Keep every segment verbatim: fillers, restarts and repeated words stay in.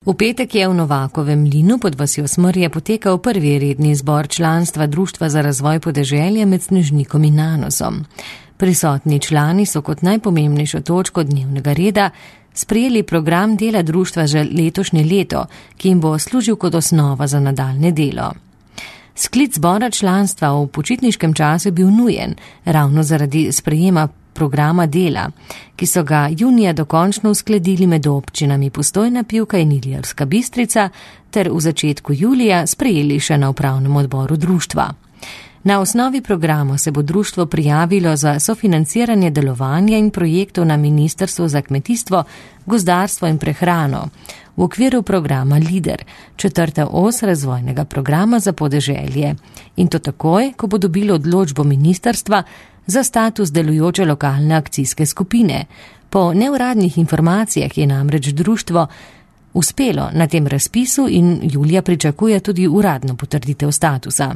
V petek je v Novakovem mlinu pod vasjo Smrje potekal prvi redni zbor članstva Društva za razvoj podeželja med Snežnikom in Nanosom. Prisotni člani so kot najpomembnejšo točko dnevnega reda sprejeli program dela društva za letošnje leto, ki jim bo služil kot osnova za nadaljne delo. Sklic zbora članstva v počitniškem času je bil nujen, ravno zaradi sprejema programa dela, ki so ga junija dokončno uskladili med občinami Postojna, Pivka in Ilirska Bistrica ter v začetku julija sprejeli še na upravnem odboru društva. Na osnovi programa se bo društvo prijavilo za sofinanciranje delovanja in projektov na Ministrstvu za kmetijstvo, gozdarstvo in prehrano v okviru programa LIDER, četrta os razvojnega programa za podeželje. In to takoj, ko bo dobilo odločbo ministrstva za status delujoče lokalne akcijske skupine. Po neuradnih informacijah je namreč društvo uspelo na tem razpisu in julija pričakuje tudi uradno potrditev statusa.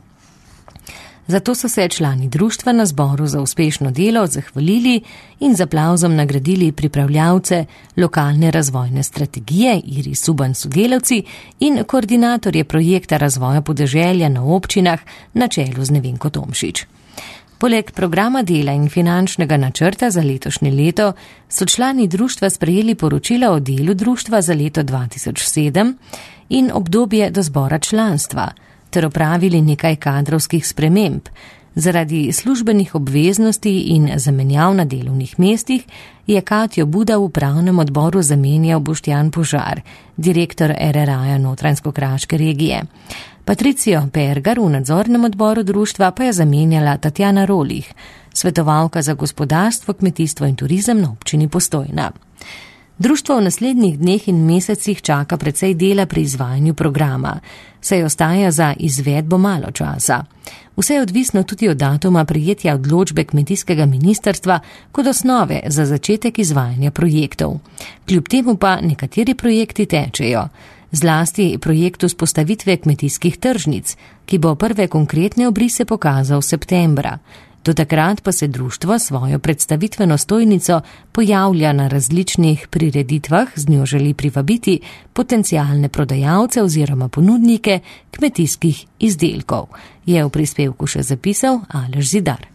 Zato so se člani društva na zboru za uspešno delo zahvalili in z aplavzom nagradili pripravljavce lokalne razvojne strategije Iris Suban sodelavci in koordinatorje projekta razvoja podeželja na občinah na čelu z Nevenko Tomšič. Poleg programa dela in finančnega načrta za letošnje leto so člani društva sprejeli poročila o delu društva za leto dva tisoč sedem in obdobje do zbora članstva, ter opravili nekaj kadrovskih sprememb. Zaradi službenih obveznosti in zamenjav na delovnih mestih je Katjo Buda v upravnem odboru zamenjal Boštjan Požar, direktor er er a-ja Notranjsko-kraške regije. Patricijo Pergar v nadzornem odboru društva pa je zamenjala Tatjana Rolih, svetovalka za gospodarstvo, kmetijstvo in turizem na občini Postojna. Društvo v naslednjih dneh in mesecih čaka precej dela pri izvajanju programa, saj ostaja za izvedbo malo časa. Vse je odvisno tudi od datuma prijetja odločbe kmetijskega ministrstva kot osnove za začetek izvajanja projektov. Kljub temu pa nekateri projekti tečejo, zlasti projekt vzpostavitve kmetijskih tržnic, ki bo prve konkretne obrise pokazal septembra. Do takrat pa se društvo svojo predstavitveno stojnico pojavlja na različnih prireditvah, z njo želi privabiti potencialne prodajalce oziroma ponudnike kmetijskih izdelkov, je v prispevku še zapisal Aleš Zidar.